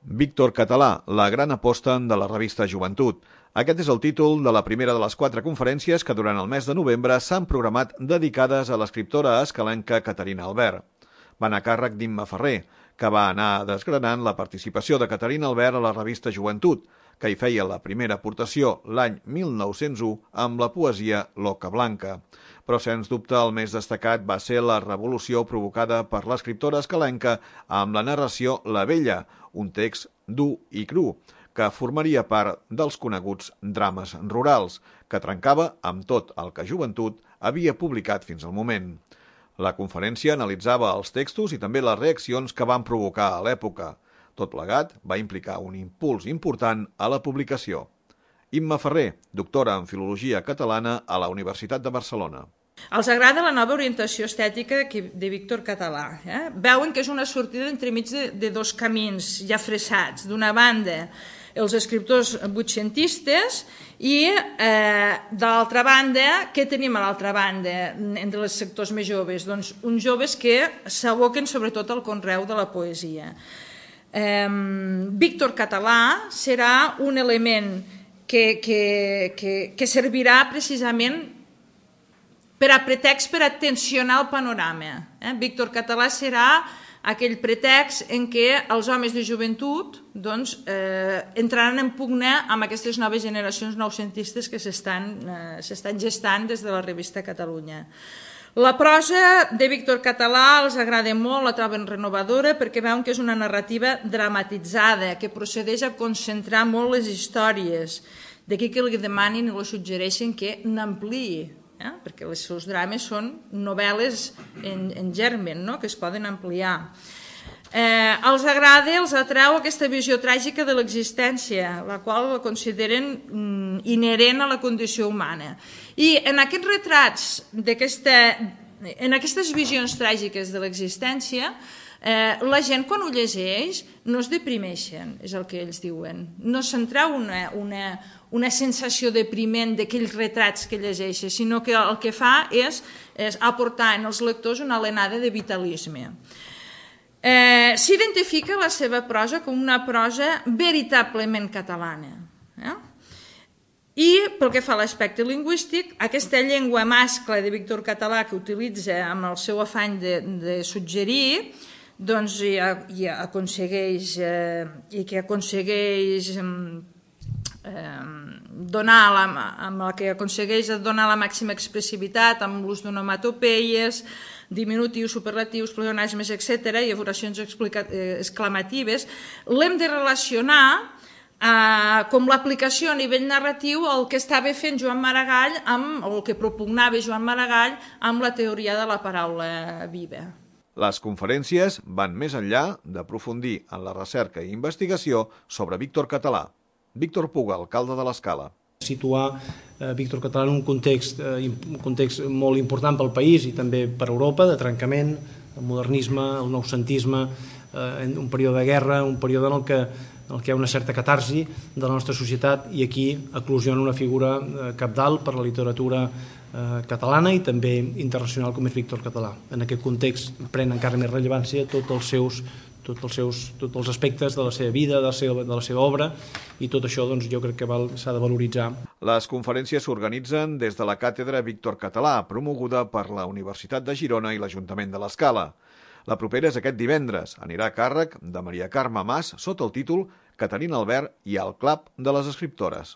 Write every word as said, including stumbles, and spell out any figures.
Víctor Català, la gran aposta de la revista Joventut. Aquest és el títol de la primera de les quatre conferències que durant el mes de novembre s'han programat dedicades a l'escriptora escalenca Caterina Albert. Van a càrrec d'Imma Ferrer, que va anar desgranant la participació de Caterina Albert a la revista Joventut, que hi feia la primera aportació l'any mil nou-cents u amb la poesia L'Oca Blanca. Però, sens dubte, el més destacat va ser la revolució provocada per l'escriptora escalenca amb la narració La Vella, un text dur i cru, que formaria part dels coneguts drames rurals, que trencava amb tot el que Joventut havia publicat fins al moment. La conferència analitzava els textos i també les reaccions que van provocar a l'època. Tot plegat va implicar un impuls important a la publicació. Imma Ferrer, doctora en Filologia Catalana a la Universitat de Barcelona. Els agrada la nova orientació estètica de Víctor Català. Eh? Veuen que és una sortida entremig de, de dos camins ja fressats. D'una banda, els escriptors vuitcentistes i, eh, de l'altra banda, què tenim a l'altra banda entre els sectors més joves? Doncs uns joves que s'aboquen sobretot al conreu de la poesia. Eh, Víctor Català serà un element que, que, que, que servirà precisament per a pretext per a tensionar el panorama. Eh? Víctor Català serà aquell pretext en què els homes de joventut doncs, eh, entraran en pugna amb aquestes noves generacions noucentistes que s'estan eh, gestant des de la revista Catalunya. La prosa de Víctor Català els agrada molt, la troben renovadora perquè veuen que és una narrativa dramatitzada, que procedeix a concentrar molt les històries. D'aquí que li demanin i li suggereixen que n'ampliï, eh? perquè els seus drames són novel·les en, en germen, no? que es poden ampliar. Eh, els agrada, els atreu aquesta visió tràgica de l'existència, la qual la consideren mm, inherent a la condició humana. I en aquests retrats, en aquestes visions tràgiques de l'existència, eh, la gent quan ho llegeix no es deprimeixen, és el que ells diuen. No se'n treu una, una, una sensació depriment d'aquells retrats que llegeixen, sinó que el que fa és, és aportar en els lectors una alenada de vitalisme. Eh, S'identifica la seva prosa com una prosa veritablement catalana. Eh? I pel que fa a l'aspecte lingüístic, aquesta llengua mascle de Víctor Català que utilitza amb el seu afany de, de suggerir, doncs i, i aconsegueix eh, i que aconsegueix eh, donar la, amb la que aconsegueix donar la màxima expressivitat amb l'ús d'onomatopeies, diminutius, superlatius, pleonasmes, etcètera, i oracions exclamatives, l'hem de relacionar eh, com l'aplicació a nivell narratiu el que estava fent Joan Maragall, amb, o el que propugnava Joan Maragall amb la teoria de la paraula viva. Les conferències van més enllà d'aprofundir en la recerca i investigació sobre Víctor Català. Víctor Puga, alcalde de l'Escala. Situar eh, Víctor Català en un context, eh, un context molt important pel país i també per Europa, de trencament, el modernisme, el noucentisme, eh, un període de guerra, un període en el que, en el que hi ha una certa catarsi de la nostra societat i aquí eclosiona una figura eh, cabdal per la literatura eh, catalana i també internacional com és Víctor Català. En aquest context pren encara més rellevància tots els seus tots els, seus, tots els aspectes de la seva vida, de la seva, de la seva obra, i tot això doncs, jo crec que s'ha de valoritzar. Les conferències s'organitzen des de la càtedra Víctor Català, promoguda per la Universitat de Girona i l'Ajuntament de l'Escala. La propera és aquest divendres. Anirà a càrrec de Maria Carme Mas sota el títol Caterina Albert i el clap de les escriptores.